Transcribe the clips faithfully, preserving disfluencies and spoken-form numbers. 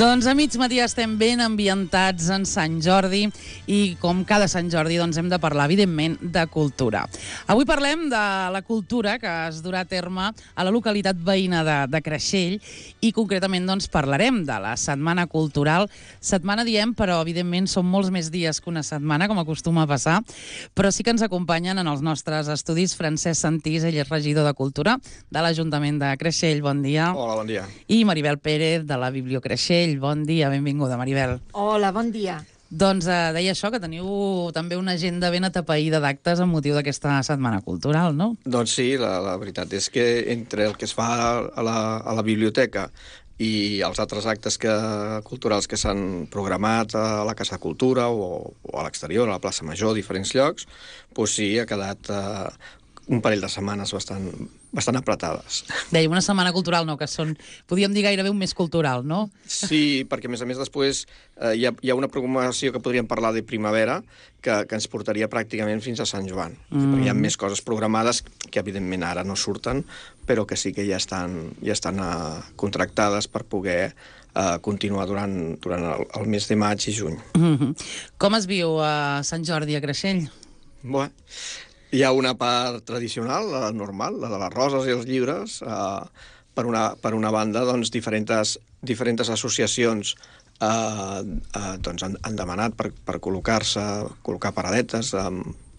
Doncs a mig matí estem ben ambientats en Sant Jordi i com cada Sant Jordi doncs hem de parlar, evidentment, de cultura. Avui parlem de la cultura que es durà a terme a la localitat veïna de, de Creixell i concretament doncs parlarem de la Setmana Cultural. Setmana diem, però evidentment són molts més dies que una setmana, com acostuma a passar, però sí que ens acompanyen en els nostres estudis Francesc Santís, ell és regidor de Cultura de l'Ajuntament de Creixell. Bon dia. Hola, bon dia. I Maribel Pérez, de la Biblio Creixell. Bon dia, benvinguda, Maribel. Hola, bon dia. Doncs eh, deia això, que teniu també una agenda ben atapeïda d'actes amb motiu d'aquesta Setmana Cultural, no? Doncs sí, la, la veritat és que entre el que es fa a la, a la biblioteca i els altres actes que, culturals que s'han programat a la Casa de Cultura o, o a l'exterior, a la plaça Major, a diferents llocs, doncs sí, ha quedat eh, un parell de setmanes bastant, bastant apretades. Dèiem una setmana cultural, no, que són, podríem dir gairebé un mes cultural, no? Sí, perquè a més a més després eh, hi, ha, hi ha una programació que podríem parlar de primavera que, que ens portaria pràcticament fins a Sant Joan. Mm. Perquè hi ha més coses programades que evidentment ara no surten, però que sí que ja estan, ja estan uh, contractades per poder uh, continuar durant, durant el, el mes de maig i juny. Mm-hmm. Com es viu a Sant Jordi a Creixell? Bé, hi ha una part tradicional, la normal, la de les roses i els llibres. Eh, per, una, per una banda, doncs, diferents, diferents associacions eh, eh, doncs han, han demanat per, per col·locar-se, col·locar paradetes, eh,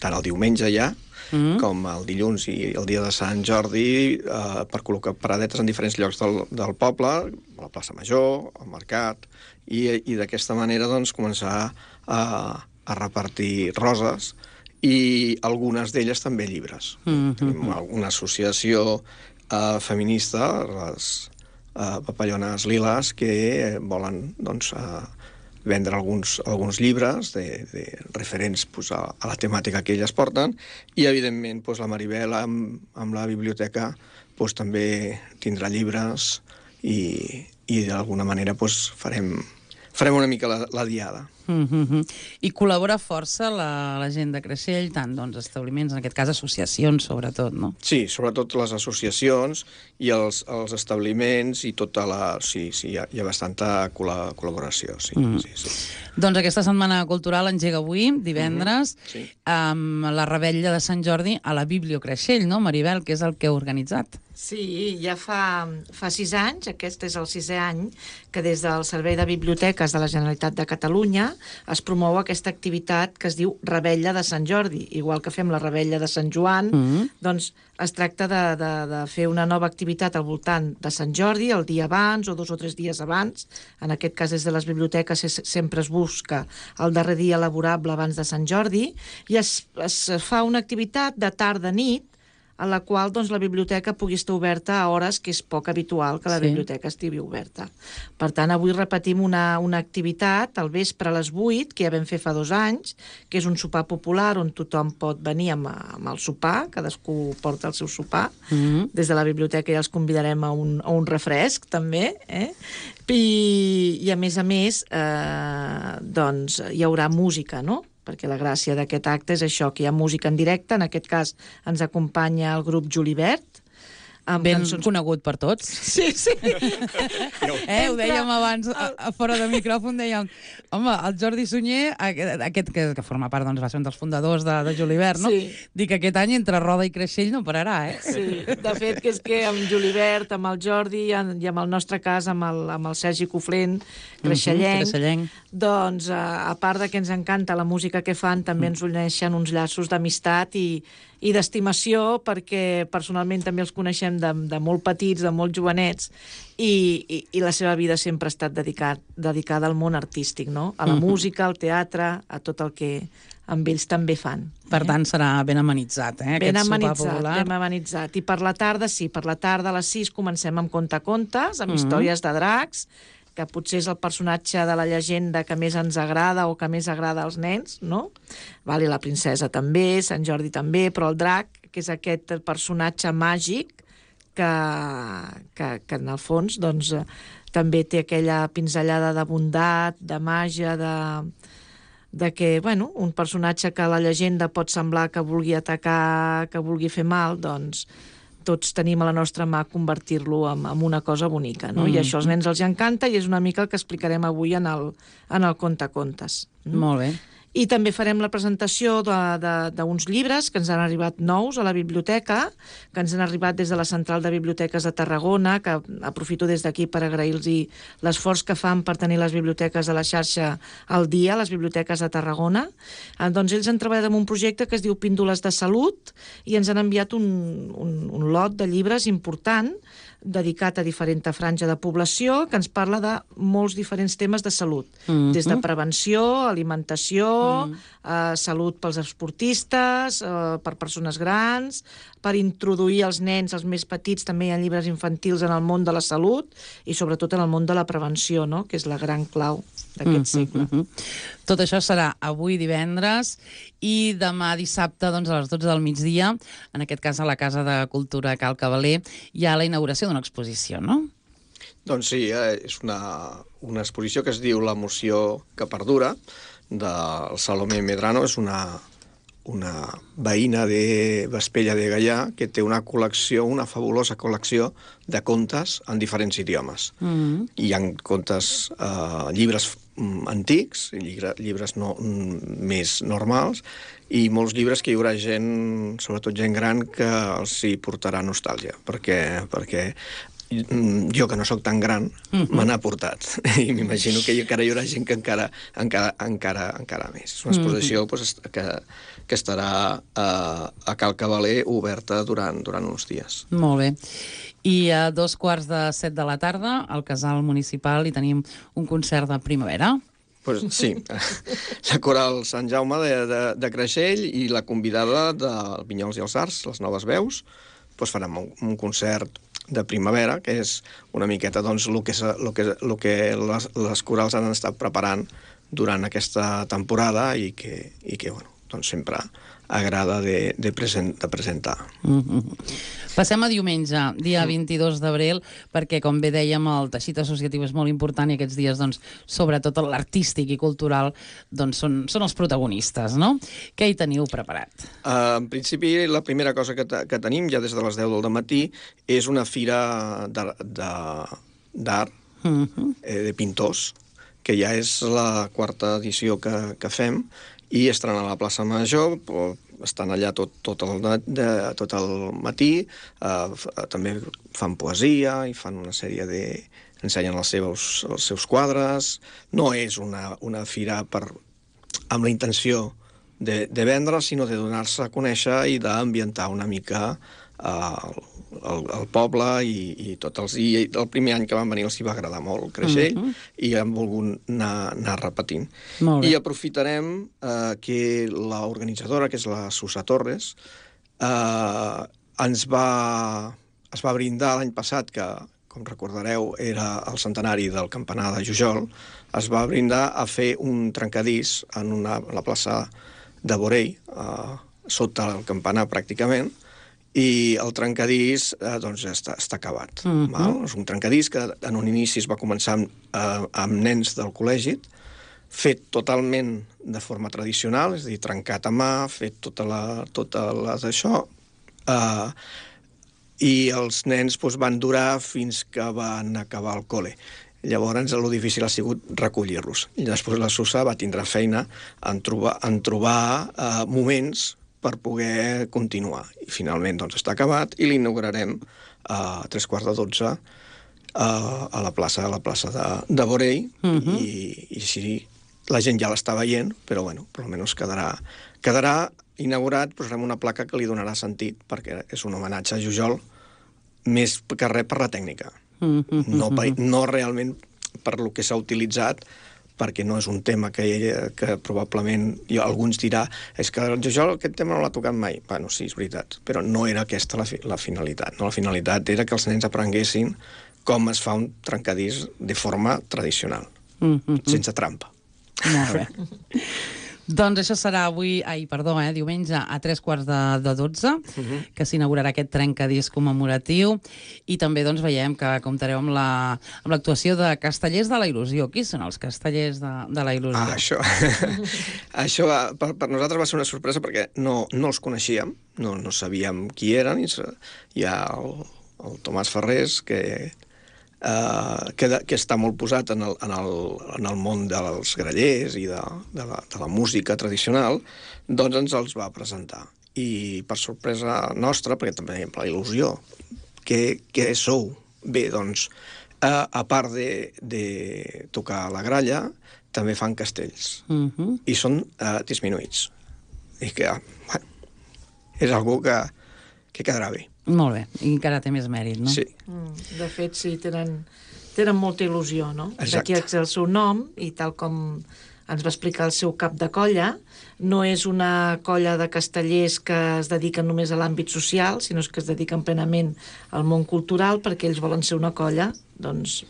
tant el diumenge ja, mm. com el dilluns i el dia de Sant Jordi, eh, per col·locar paradetes en diferents llocs del, del poble, a la plaça Major, al mercat, i, i d'aquesta manera doncs, començar a, a repartir roses, i algunes d'elles també llibres. Mm-hmm. Tenim una associació uh, feminista, les uh, papallones liles, que volen doncs, uh, vendre alguns, alguns llibres de, de referents pues, a, a la temàtica que elles porten, i evidentment pues, la Maribel amb, amb la biblioteca pues, també tindrà llibres i, i d'alguna manera pues, farem, farem una mica la, la diada. Mm-hmm. I col·labora força la, la gent de Creixell, tant doncs, establiments, en aquest cas associacions, sobretot, no? Sí, sobretot les associacions i els, els establiments i tota la... Sí, sí, hi ha, hi ha bastanta col·laboració, sí, mm. sí, sí. Doncs aquesta Setmana Cultural engega avui, divendres, mm-hmm. sí. amb la revetlla de Sant Jordi a la Biblio Creixell, no, Maribel, que és el que heu organitzat? Sí, ja fa, fa sis anys, aquest és el sisè any, que des del Servei de Biblioteques de la Generalitat de Catalunya es promou aquesta activitat que es diu Revetlla de Sant Jordi. Igual que fem la Revetlla de Sant Joan, mm-hmm. doncs es tracta de, de, de fer una nova activitat al voltant de Sant Jordi, el dia abans o dos o tres dies abans. En aquest cas, des de les biblioteques sempre es busca el darrer dia laborable abans de Sant Jordi, i es, es fa una activitat de tarda-nit en la qual doncs, la biblioteca pugui estar oberta a hores que és poc habitual que la sí. biblioteca estigui oberta. Per tant, avui repetim una, una activitat al vespre a les vuit, que ja vam fer fa dos anys, que és un sopar popular on tothom pot venir amb, amb el sopar, cadascú porta el seu sopar. Mm-hmm. Des de la biblioteca ja els convidarem a un, a un refresc, també. Eh? I, I, a més a més, eh, doncs, hi haurà música, no?, perquè la gràcia d'aquest acte és això, que hi ha música en directe. En aquest cas ens acompanya el grup Julibert. Ben cançons... conegut per tots. Sí, sí. eh, ho dèiem abans, a, a fora de micròfon, dèiem, home, el Jordi Sunyer, aquest que, que forma part, doncs, va ser un dels fundadors de, de Julibert, no? Sí. Dic que aquest any entre Roda i Creixell no pararà, eh? Sí, de fet, que és que amb Julibert, amb el Jordi i amb el nostre cas, amb el, amb el Sergi Coflent, creixellenc, mm-hmm, creixellenc, doncs, a part de que ens encanta la música que fan, també ens uneixen uns llaços d'amistat i, i d'estimació, perquè personalment també els coneixem de, de molt petits, de molt jovenets, i, i, i la seva vida sempre ha estat dedicat, dedicada al món artístic, no? A la mm-hmm. música, al teatre, a tot el que amb ells també fan. Per eh? tant, serà ben amenitzat, eh? Ben aquest amenitzat, sopar popular. ben amenitzat. I per la tarda, sí, per la tarda a les sis comencem amb contacontes, amb mm-hmm. històries de dracs, que potser és el personatge de la llegenda que més ens agrada o que més agrada als nens, no? Vale, la princesa també, Sant Jordi també, però el drac, que és aquest personatge màgic que, que, que en el fons doncs, també té aquella pinzellada de bondat, de màgia, de, de que, bueno, un personatge que la llegenda pot semblar que vulgui atacar, que vulgui fer mal, doncs tots tenim a la nostra mà convertir-lo en, en una cosa bonica, no? Mm. I això als nens els encanta i és una mica el que explicarem avui en el, en el Contacontes. Mm? Molt bé. I també farem la presentació d'uns llibres que ens han arribat nous a la biblioteca, que ens han arribat des de la Central de Biblioteques de Tarragona, que aprofito des d'aquí per agrair-los l'esforç que fan per tenir les biblioteques de la xarxa al dia, les biblioteques de Tarragona. Eh, doncs ells han treballat en un projecte que es diu Píndoles de Salut i ens han enviat un, un, un lot de llibres important dedicat a diferent franja de població que ens parla de molts diferents temes de salut, mm-hmm. des de prevenció, alimentació, mm. eh, salut pels esportistes, eh, per persones grans, per introduir els nens, els més petits, també hi ha llibres infantils en el món de la salut i sobretot en el món de la prevenció, no? Que és la gran clau d'aquest segle. Mm-hmm. Tot això serà avui divendres i demà dissabte doncs, a les dotze del migdia, en aquest cas a la Casa de Cultura Cal Cavaler, hi ha la inauguració d'una exposició, no? Doncs sí, eh, és una, una exposició que es diu L'emoció que perdura, del Salomé Medrano. És una, una veïna de Vespella de Gaià que té una col·lecció, una fabulosa col·lecció de contes en diferents idiomes. Mm-hmm. Hi ha contes, eh, llibres antics, llibre, llibres no, més normals, i molts llibres que hi haurà gent, sobretot gent gran, que els hi portarà nostàlgia, perquè, perquè jo, que no sóc tan gran, mm-hmm. me n'ha portat. I m'imagino que encara hi haurà gent que encara, encara, encara, encara més. És una exposició mm-hmm. pues, que, que estarà a, a Cal Cavaler oberta durant, durant uns dies. Molt bé. I a dos quarts de set de la tarda, al Casal Municipal, hi tenim un concert de primavera. Pues sí, la Coral Sant Jaume de, de, de Creixell i la convidada del Vinyols i els Arts, les Noves Veus, pues farem un, un concert de primavera, que és una miqueta doncs, el que, el que, el que les, les corals han estat preparant durant aquesta temporada i que, i que bueno, doncs sempre agrada de, de, present, de presentar. Mm-hmm. Passem a diumenge, dia vint-i-dos d'abril, perquè, com bé dèiem, el teixit associatiu és molt important i aquests dies, doncs, sobretot l'artístic i cultural, doncs, són, són els protagonistes, no? Què hi teniu preparat? Uh, en principi, la primera cosa que, que tenim, ja des de les deu del matí, és una fira d'art, mm-hmm. eh, de pintors, que ja és la quarta edició que, que fem, i estaran a la plaça Major, estan allà tot, tot, el, de, tot el matí, eh, també fan poesia i fan una sèrie de... ensenyen els seus, els seus quadres. No és una, una fira per, amb la intenció de, de vendre, sinó de donar-se a conèixer i d'ambientar una mica eh, el, el poble i, i tots els... I el primer any que van venir els hi va agradar molt, Creixell, uh-huh. i han volgut anar, anar repetint. I aprofitarem eh, que l'organitzadora, que és la Susa Torres, eh, ens va, es va brindar l'any passat, que, com recordareu, era el centenari del campanar de Jujol, es va brindar a fer un trencadís en una, la plaça de Borell, eh, sota el campanar pràcticament, i el trencadís eh, doncs està, està acabat. Mm-hmm. Val? És un trencadís que en un inici es va començar amb, eh, amb nens del col·legi, fet totalment de forma tradicional, és a dir, trencat a mà, fet tota la, tota la d'això, eh, i els nens doncs, van durar fins que van acabar el col·le. Llavors, el difícil ha sigut recollir-los. I després la Susa va tindre feina en trobar, en trobar eh, moments per poder continuar. I finalment doncs, està acabat i l'inaugurarem a tres quarts de dotze a, a la plaça, a la plaça de, de Borell, uh-huh. i, i així la gent ja l'està veient, però bueno, per almenys quedarà, quedarà inaugurat, posarem una placa que li donarà sentit, perquè és un homenatge a Jujol, més que res per la tècnica. Uh-huh. No, no realment per lo que s'ha utilitzat, perquè no és un tema que, que probablement jo, alguns dirà és que el Jujol aquest tema no l'ha tocat mai. Bueno, sí, és veritat, però no era aquesta la, fi, la finalitat. No? La finalitat era que els nens aprenguessin com es fa un trencadís de forma tradicional, mm-hmm. sense trampa. Molt bé. Doncs això serà avui, ai, perdó, eh, diumenge a tres quarts de, de dotze, uh -huh. que s'inaugurarà aquest trencadís commemoratiu, i també doncs veiem que comptareu amb la amb l'actuació de Castellers de la Il·lusió. Qui són els Castellers de, de la Il·lusió? Ah, això, això va, per, per nosaltres va ser una sorpresa perquè no, no els coneixíem, no, no sabíem qui eren, i hi ha el, el Tomàs Ferrés, que... Uh, que, de, que està molt posat en el, en el, en el món dels grallers i de, de, la, de la música tradicional, doncs ens els va presentar. I per sorpresa nostra, perquè també tenim la il·lusió, què, què sou? Bé, doncs, uh, a part de, de tocar la gralla, també fan castells. Uh -huh. I són uh, disminuïts. I que, bueno, és algú que, que quedarà bé. Molt bé, i encara té més mèrit, no? Sí. Mm, de fet, sí, tenen, tenen molta il·lusió, no? Exacte. D'aquí és el seu nom, i tal com ens va explicar el seu cap de colla, no és una colla de castellers que es dediquen només a l'àmbit social, sinó que es dediquen plenament al món cultural, perquè ells volen ser una colla, doncs,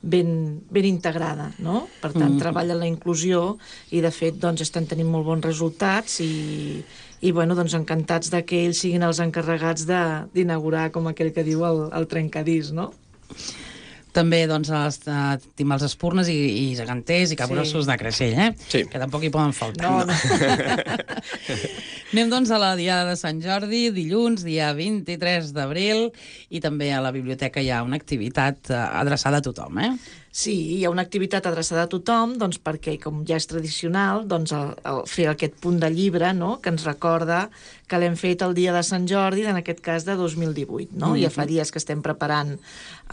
ben, ben integrada, no? Per tant, mm. treballen la inclusió i, de fet, doncs, estan tenint molt bons resultats i... i bueno, doncs encantats de que ells siguin els encarregats d'inaugurar, com aquell que diu, el, el trencadís, no? També, doncs, els, uh, tenim els espurnes i, i geganters i capgrossos sí. de Creixell, eh? Sí. Que tampoc hi poden faltar. No, no. Anem, doncs, a la Diada de Sant Jordi, dilluns, dia vint-i-tres d'abril, i també a la biblioteca hi ha una activitat uh, adreçada a tothom, eh? Sí, hi ha una activitat adreçada a tothom, doncs perquè, com ja és tradicional, doncs el, el fer aquest punt de llibre, no?, que ens recorda que l'hem fet el dia de Sant Jordi, en aquest cas de dos mil divuit, no? Mm-hmm. Ja fa dies que estem preparant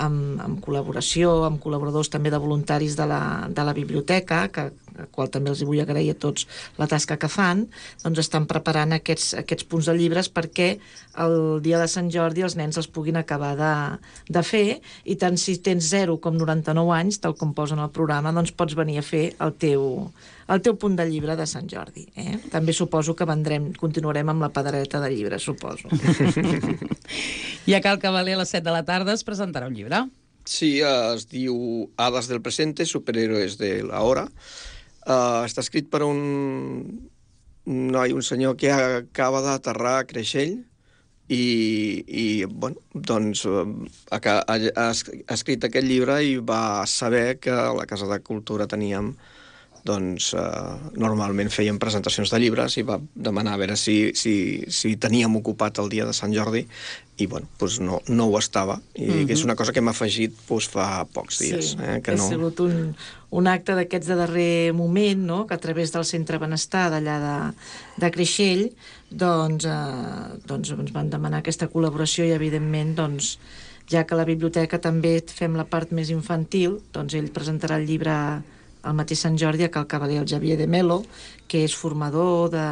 amb, amb col·laboració, amb col·laboradors també de voluntaris de la, de la biblioteca, que al qual també els vull agrair a tots la tasca que fan, doncs estan preparant aquests, aquests punts de llibres perquè el dia de Sant Jordi els nens els puguin acabar de, de fer, i tant si tens zero com noranta-nou anys, tal com posen al programa, doncs pots venir a fer el teu, el teu punt de llibre de Sant Jordi. Eh? També suposo que vendrem, continuarem amb la pedreta de llibres, suposo. I a Cal Cavaler a les set de la tarda es presentarà un llibre. Sí, es diu Hadas del presente, superhéroes de la hora. Uh, està escrit per un noi, un senyor que acaba d'aterrar a Creixell i, i bueno, doncs ha, ha, ha escrit aquest llibre i va saber que a la Casa de Cultura teníem, doncs uh, normalment feien presentacions de llibres, i va demanar a veure si, si, si teníem ocupat el dia de Sant Jordi, i bueno, doncs no, no ho estava, i mm-hmm. que és una cosa que hem afegit doncs, fa pocs dies. Sí, eh, que ha no... sigut un, un acte d'aquests de darrer moment, no?, que a través del Centre Benestar d'allà de, de Creixell, doncs, eh, doncs ens van demanar aquesta col·laboració, i evidentment, doncs, ja que a la biblioteca també fem la part més infantil, doncs ell presentarà el llibre el mateix Sant Jordi a Cal Cavaler, el Xavier de Melo, que és formador de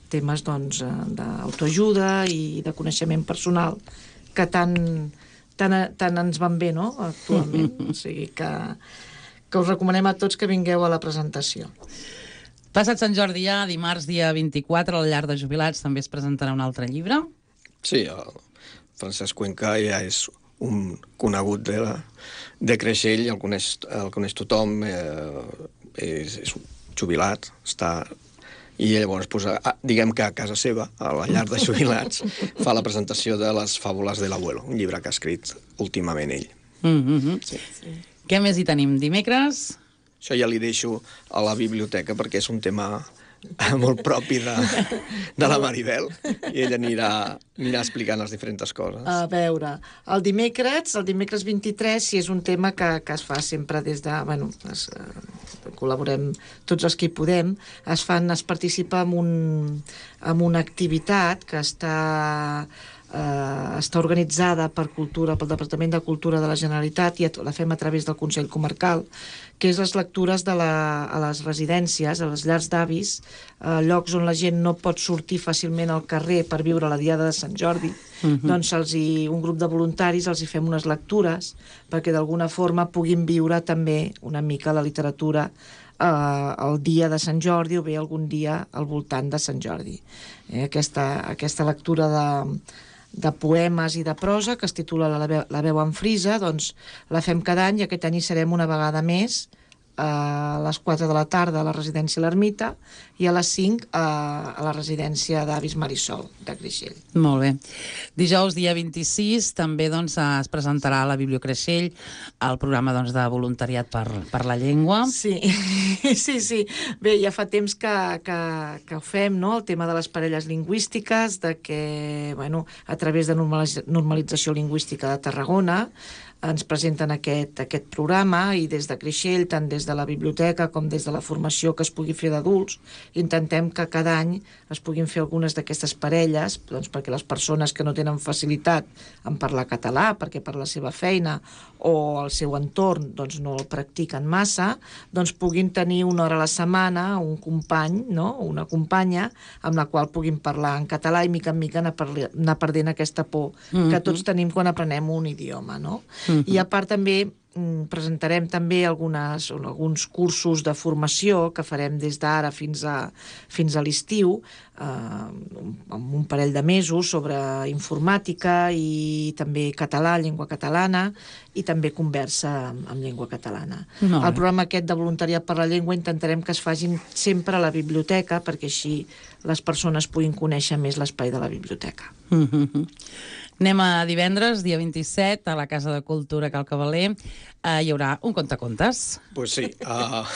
temes doncs, d'autoajuda i de coneixement personal, que tant, tant, tant ens van bé, no?, actualment. O sigui que, que us recomanem a tots que vingueu a la presentació. Passat Sant Jordi ja, dimarts, dia vint-i-quatre, al Llar de Jubilats també es presentarà un altre llibre. Sí, el Francesc Cuenca ja és un conegut de, la, de Creixell, el coneix, el coneix tothom, eh, és, és jubilat, està... I llavors, pues, a, diguem que a casa seva, a la Llar de Jubilats, fa la presentació de les fàbules de l'abuelo, un llibre que ha escrit últimament ell. Mm-hmm. Sí. Sí. Què més hi tenim? Dimecres? Això ja li deixo a la biblioteca perquè és un tema molt propi de, de la Maribel, i ella anirà, anirà explicant les diferents coses. A veure, el dimecres, el dimecres vint-i-tres, si és un tema que, que es fa sempre des de... Bueno, es, eh, col·laborem tots els que hi podem, es fan, es participa en, un, en una activitat que està... Uh, està organitzada per Cultura, pel Departament de Cultura de la Generalitat, i la fem a través del Consell Comarcal, que és les lectures de la, a les residències, a les llars d'avis, uh, llocs on la gent no pot sortir fàcilment al carrer per viure la Diada de Sant Jordi. Uh-huh. Doncs els hi, un grup de voluntaris els hi fem unes lectures perquè d'alguna forma puguin viure també una mica la literatura eh, el dia de Sant Jordi, o bé algun dia al voltant de Sant Jordi. Eh, aquesta, aquesta lectura de de poemes i de prosa, que es titula La veu, la veu en frisa, doncs la fem cada any, i aquest any hi serem una vegada més a les quatre de la tarda a la residència L'Ermita i a les cinc a, a la residència d'Avis Marisol, de Creixell. Molt bé. Dijous, dia vint-i-sis, també doncs, es presentarà a la Bibliocreixell el programa doncs, de voluntariat per, per la llengua. Sí, sí, sí. Bé, ja fa temps que, que, que ho fem, no?, el tema de les parelles lingüístiques, de que, bueno, a través de normalització lingüística de Tarragona ens presenten aquest, aquest programa i des de Creixell, tant des de la biblioteca com des de la formació que es pugui fer d'adults, intentem que cada any es puguin fer algunes d'aquestes parelles, doncs perquè les persones que no tenen facilitat en parlar català, perquè per la seva feina o el seu entorn doncs no el practiquen massa, doncs puguin tenir una hora a la setmana un company, no?, una companya amb la qual puguin parlar en català i mica en mica anar, parli, anar perdent aquesta por mm-hmm. que tots tenim quan aprenem un idioma, no? Mm-hmm. I a part també presentarem també algunes, alguns cursos de formació que farem des d'ara fins a, fins a l'estiu, eh, amb un parell de mesos sobre informàtica i també català, llengua catalana, i també conversa amb, amb llengua catalana. No, el programa aquest de voluntariat per la llengua intentarem que es facin sempre a la biblioteca perquè així les persones puguin conèixer més l'espai de la biblioteca. Mm-hmm. Anem a divendres, dia vint-i-set, a la Casa de Cultura Cal Cavaler. Uh, hi haurà un contacontes. Pues sí. Uh,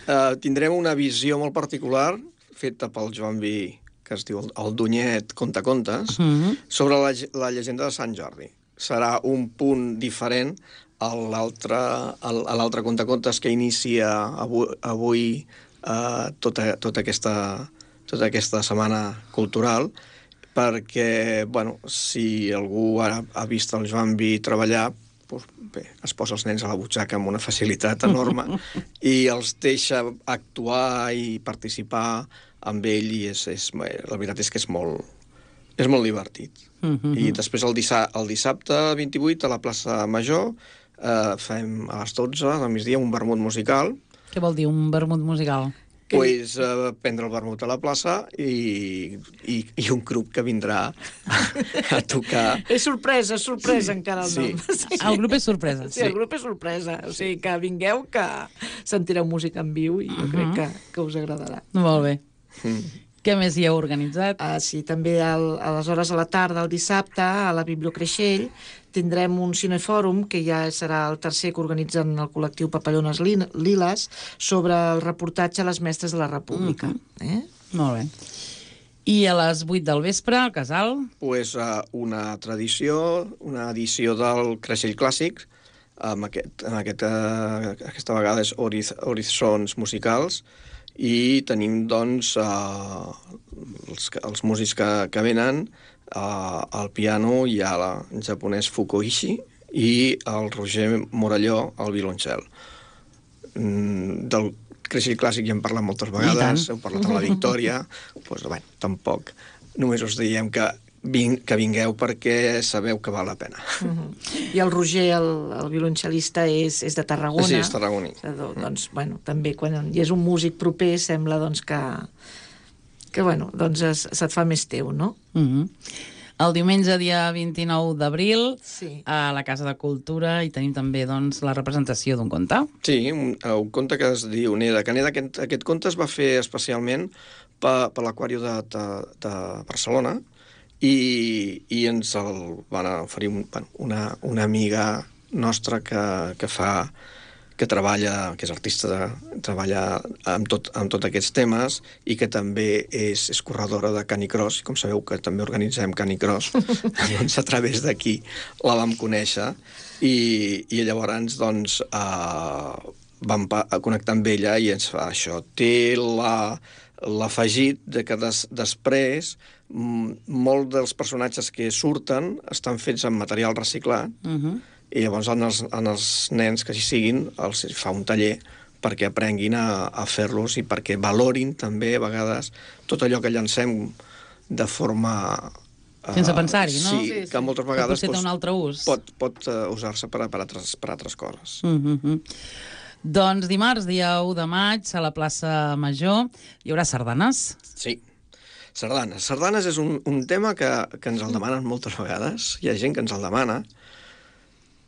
uh, tindrem una visió molt particular, feta pel Joan Vi, que es diu El Dunyet Contacontes, uh-huh. sobre la, la llegenda de Sant Jordi. Serà un punt diferent a l'altre contacontes que inicia avui, avui uh, tota, tota, aquesta, tota aquesta setmana cultural, perquè, bueno, si algú ha, ha vist el Joan Vi treballar, doncs, bé, es posa els nens a la butxaca amb una facilitat enorme i els deixa actuar i participar amb ell i és, és, la veritat és que és molt, és molt divertit. Mm-hmm. I després el, dissa, el dissabte vint-i-vuit a la plaça Major eh, fem a les dotze del migdia un vermut musical. Què vol dir un vermut musical? Pues, uh, prendre el vermut a la plaça i, i, i un grup que vindrà a, a tocar. És sorpresa, és sorpresa encara el sí. nom. Sí. El grup és sorpresa. Sí, el grup és sorpresa. O sigui, que vingueu, que sentireu música en viu i jo uh-huh. crec que, que us agradarà. Molt bé. Mm. Què més hi heu organitzat? Ah, sí, també al, a les hores a la tarda, el dissabte, a la Bibliocreixell, tindrem un cinefòrum, que ja serà el tercer que organitzen el col·lectiu Papallones Liles, sobre el reportatge a les mestres de la República. Uh-huh. eh? Molt bé. I a les vuit del vespre, al Casal? Pues, uh, una tradició, una edició del Creixell Clàssic, amb aquest, amb aquest, uh, aquesta vegada és Horiz, Horitzons musicals, i tenim, doncs, uh, els, els músics que, que venen, uh, al piano hi ha el japonès Fukuishi i el Roger Morelló al violoncel. Mm, del Creixell Clàssic ja hem parlat moltes vegades, heu parlat amb la Victòria, doncs, bé, tampoc. Només us diem que Ving, que vingueu perquè sabeu que val la pena. Uh-huh. I el Roger, el, el violoncel·lista, és, és de Tarragona. Sí, és tarragoní. Doncs, mm. bueno, també quan hi és un músic proper sembla doncs, que, que bueno, doncs es, se't fa més teu, no? Uh-huh. El diumenge, dia vint-i-nou d'abril, sí. a la Casa de Cultura, hi tenim també doncs, la representació d'un conte. Sí, un, un conte que es diu Neda. Que Neda, aquest, aquest conte es va fer especialment per, per l'Aquàrium de, de, de Barcelona, i, i ens el van oferir un, bueno, una, una amiga nostra que, que fa que treballa, que és artista, de, treballa amb tot, amb tot aquests temes i que també és, és corredora de Canicross. Com sabeu que també organitzem Canicross, doncs a través d'aquí la vam conèixer i, i llavors doncs, eh, vam connectar amb ella i ens fa això. Té la... l'afegit de que des, després molts dels personatges que surten estan fets amb material reciclat uh-huh. i llavors en els, en els nens que hi siguin els fa un taller perquè aprenguin a, a fer-los i perquè valorin també a vegades tot allò que llancem de forma... Sense uh, pensar-hi, no? Sí, sí, sí, que moltes vegades que potser té un altre ús. pot, pot uh, usar-se per, per, altres, per altres coses. Uh-huh. Doncs dimarts, dia u de maig, a la plaça Major, hi haurà sardanes. Sí, sardanes. Sardanes és un, un tema que, que ens el demanen moltes vegades. Hi ha gent que ens el demana.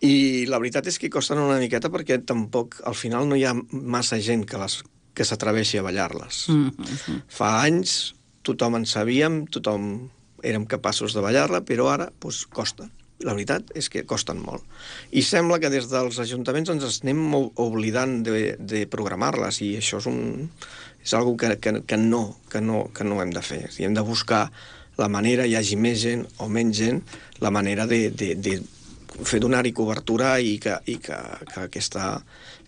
I la veritat és que costen una miqueta perquè tampoc, al final, no hi ha massa gent que, les, que s'atreveixi a ballar-les. Mm-hmm. Fa anys tothom en sabíem, tothom érem capaços de ballar-la, però ara doncs, costa. La veritat és que costen molt. I sembla que des dels ajuntaments ens anem oblidant de, de programar-les i això és, un, és algo que, que, que, no, que, no, que no hem de fer. I hem de buscar la manera, hi hagi més gent o menys gent, la manera de, de, de fer donar-hi cobertura i que, i que, que aquesta...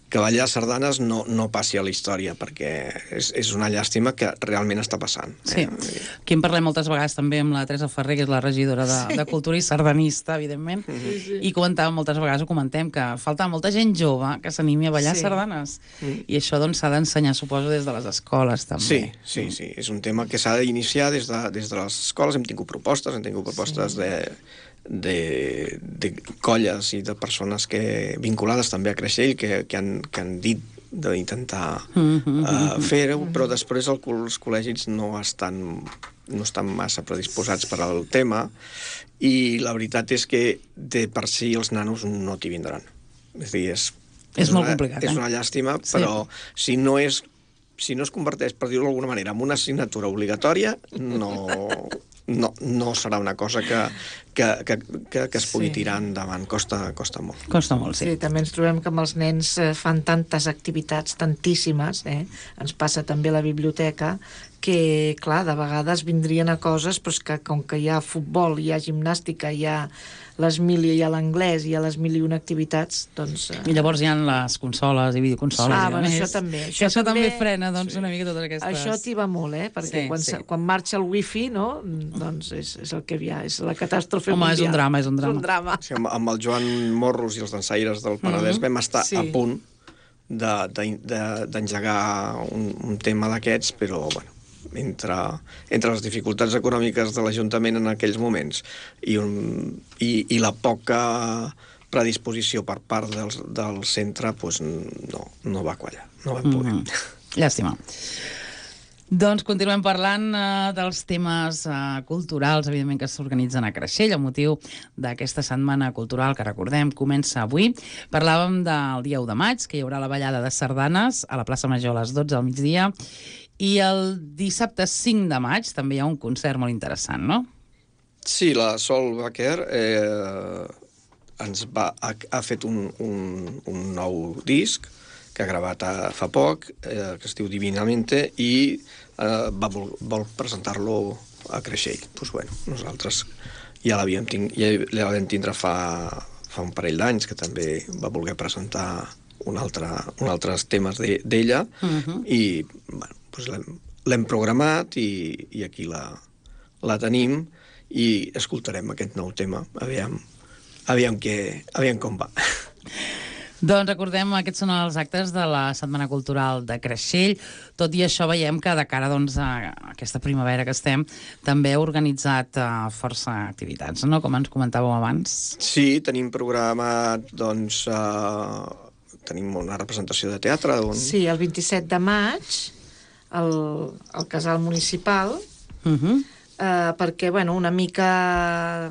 que ballar sardanes no, no passi a la història, perquè és, és una llàstima que realment està passant. Sí. Eh? Aquí en parlem moltes vegades també amb la Teresa Ferrer, que és la regidora de, sí. de Cultura i sardanista, evidentment, Sí, sí. i comentàvem moltes vegades, ho comentem, que falta molta gent jove que s'animi a ballar Sí. sardanes. Mm. I això doncs s'ha d'ensenyar, suposo, des de les escoles, també. Sí, sí, sí. És un tema que s'ha d'iniciar des de, des de les escoles. Hem tingut propostes, hem tingut propostes sí. de... De, de colles i de persones que vinculades també a Creixell que, que, han, que han dit d'intentar mm-hmm. uh, fer-ho, però després el, els col·legis no estan, no estan massa predisposats per al tema i la veritat és que de per si els nanos no t'hi vindran. És a dir, és, és, és molt una, complicat. És eh? una llàstima, sí. però si no és si no es converteix, per dir-ho d'alguna manera, en una assignatura obligatòria, no, no, no serà una cosa que, que, que, que, que es pugui sí. tirar endavant. Costa, costa molt. Costa molt, sí. Sí, també ens trobem que amb els nens fan tantes activitats, tantíssimes, eh? Ens passa també a la biblioteca, que, clar, de vegades vindrien a coses, però és que com que hi ha futbol, hi ha gimnàstica, hi ha les mil i hi ha l'anglès, hi ha les mil i una activitats, doncs... Eh... I llavors hi ha les consoles i videoconsoles. Ah, i bueno, més, això també. Això, això també, també frena, doncs, sí. una mica totes aquestes... Això t'hi va molt, eh? Perquè sí, quan, sí. quan marxa el wifi, no? Doncs és, és el que hi ha, és la catàstrofe Home, mundial. és un drama, és un drama. És un drama. Sí, amb, amb el Joan Morros i els dansaires del Penedès mm-hmm. vam estar sí. a punt d'engegar de, de, un, un tema d'aquests, però, bueno, entre, entre les dificultats econòmiques de l'Ajuntament en aquells moments i, un, i, i la poca predisposició per part del, del centre, doncs no, no va quallar, no vam poder. Mm-hmm. Llàstima. Doncs continuem parlant uh, dels temes uh, culturals, evidentment, que s'organitzen a Creixell, a motiu d'aquesta setmana cultural que, recordem, comença avui. Parlàvem del dia u de maig, que hi haurà la ballada de sardanes a la plaça Major a les dotze al migdia, i el dissabte cinc de maig també hi ha un concert molt interessant, no? Sí, la Sol Baquer eh, ens va, ha, ha fet un, un, un nou disc que ha gravat a, fa poc, eh, que es diu Divinamente, i eh, va vol, vol presentar-lo a Creixell. Doncs bueno, nosaltres ja l'havíem ting, ja l'havíem tindre fa, fa un parell d'anys, que també va voler presentar un altre, un altres temes d'ella, de, uh-huh. i bueno, doncs l'hem programat i, i aquí la, la tenim i escoltarem aquest nou tema. Aviam, aviam, que, aviam com va. Doncs recordem, aquests són els actes de la Setmana Cultural de Creixell. Tot i això veiem que de cara doncs, a aquesta primavera que estem també heu organitzat uh, força activitats, no? Com ens comentàveu abans. Sí, tenim programat doncs, uh, tenim una representació de teatre. On... Sí, el vint-i-set de maig al, al casal municipal, uh-huh. eh, perquè, bueno, una mica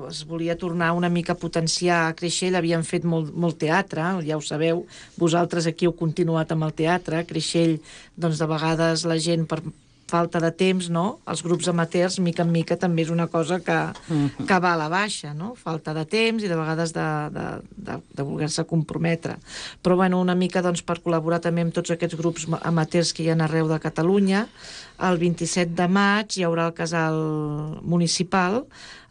es volia tornar una mica a potenciar a Creixell. Havíem fet molt, molt teatre, ja ho sabeu, vosaltres aquí heu continuat amb el teatre. A Creixell, doncs, de vegades la gent per falta de temps, no? Els grups amateurs, mica en mica, també és una cosa que, uh-huh. que va a la baixa, no? Falta de temps i de vegades de, de, de, de voler-se comprometre. Però, bueno, una mica, doncs, per col·laborar també amb tots aquests grups amateurs que hi ha arreu de Catalunya, el vint-i-set de maig hi haurà el casal municipal,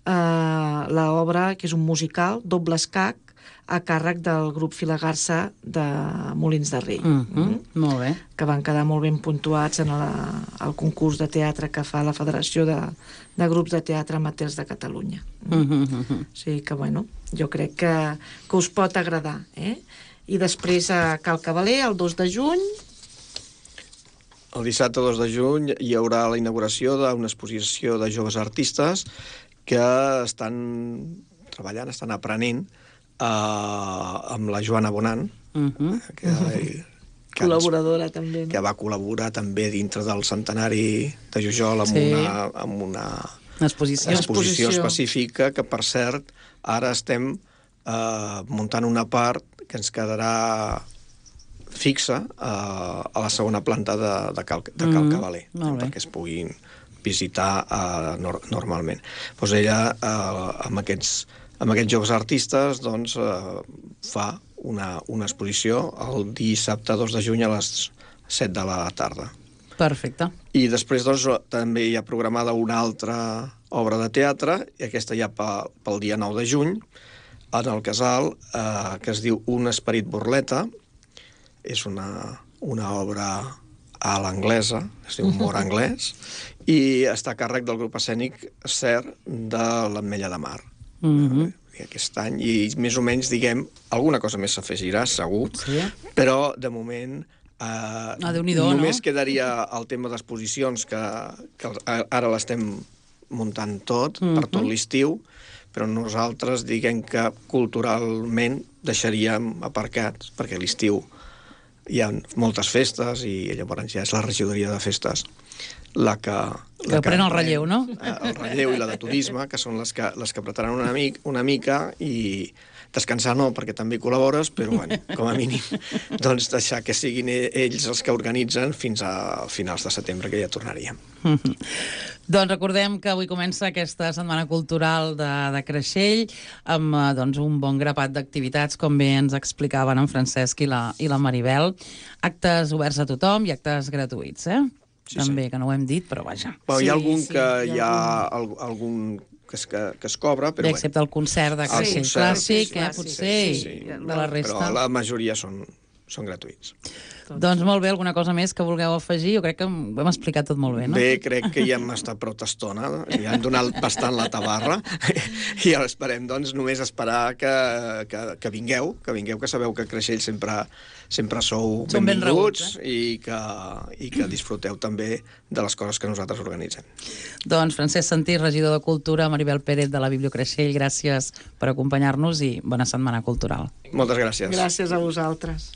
eh, l'obra, que és un musical, Doble Escac, a càrrec del grup Filagarsa de Molins de Rei. Mm-hmm. Mm-hmm. Molt bé. Que van quedar molt ben puntuats en la, el concurs de teatre que fa la Federació de, de Grups de Teatre Amateurs de Catalunya. Mm-hmm. O sigui que, bueno, jo crec que, que us pot agradar. Eh? I després a Cal Cavaler, el dos de juny... El dissabte dos de juny hi haurà la inauguració d'una exposició de joves artistes que estan treballant, estan aprenent Uh, amb la Joana Bonan, uh-huh. que, que col·laboradora ens, també, no? Que va col·laborar també dintre del centenari de Jujol amb, sí. una, amb una exposició. exposició específica, que per cert ara estem eh, muntant una part que ens quedarà fixa eh, a la segona planta de, de Cal, de Cal Cavaler, mm, molt bé. perquè es puguin visitar eh, nor normalment. Doncs ella, eh, amb, aquests, amb aquests jocs artistes, doncs, eh, fa una, una exposició el dissabte dos de juny a les set de la tarda. Perfecte. I després doncs, també hi ha programada una altra obra de teatre, i aquesta ja pel, pel dia nou de juny, en el Casal, eh, que es diu Un esperit burleta. És una, una obra a l'anglesa, es diu Humor anglès, i està a càrrec del grup escènic Ser de l'Ametlla de Mar. Mm-hmm. Aquest any, i més o menys, diguem, alguna cosa més s'afegirà, segur, Sí. però de moment eh, Ah, Déu-n'hi-do, només no? quedaria el tema d'exposicions, que, que ara l'estem muntant tot, Mhm. per tot l'estiu, però nosaltres diguem que culturalment deixaríem aparcats, perquè a l'estiu hi ha moltes festes i llavors ja és la regidoria de festes la que... Que pren el relleu, no? El relleu i la de turisme, que són les que, les que apretaran una, mic, una mica, i descansar no, perquè també col·labores, però bueno, com a mínim, doncs deixar que siguin ells els que organitzen fins a finals de setembre, que ja tornaríem. Doncs recordem que avui comença aquesta Setmana Cultural de, de Creixell amb eh, doncs, un bon grapat d'activitats, com bé ens explicaven en Francesc i la, i la Maribel. Actes oberts a tothom i actes gratuïts, eh? Sí, També, sí. que no ho hem dit, però vaja. Però hi ha Sí, algun sí, que hi hi ha ha algun, algun que, es, que, que es cobra, però Bé, bueno. excepte el concert de Creixell concert, Clàssic, sí, eh, sí, potser, sí, i sí. de la resta. Però la majoria són, són gratuïts. Doncs molt bé, alguna cosa més que vulgueu afegir? Jo crec que ho hem explicat tot molt bé, no? Bé, crec que ja hem estat prou estona, ja hem donat bastant la tabarra, i ara esperem, doncs, només esperar que, que, que vingueu, que vingueu, que sabeu que a Creixell sempre, sempre sou Som ben benvinguts, rebuts, i, que, i que disfruteu també de les coses que nosaltres organitzem. Doncs Francesc Santí, regidor de Cultura, Maribel Pérez de la Bibliocreixell, gràcies per acompanyar-nos i bona Setmana Cultural. Moltes gràcies. Gràcies a vosaltres.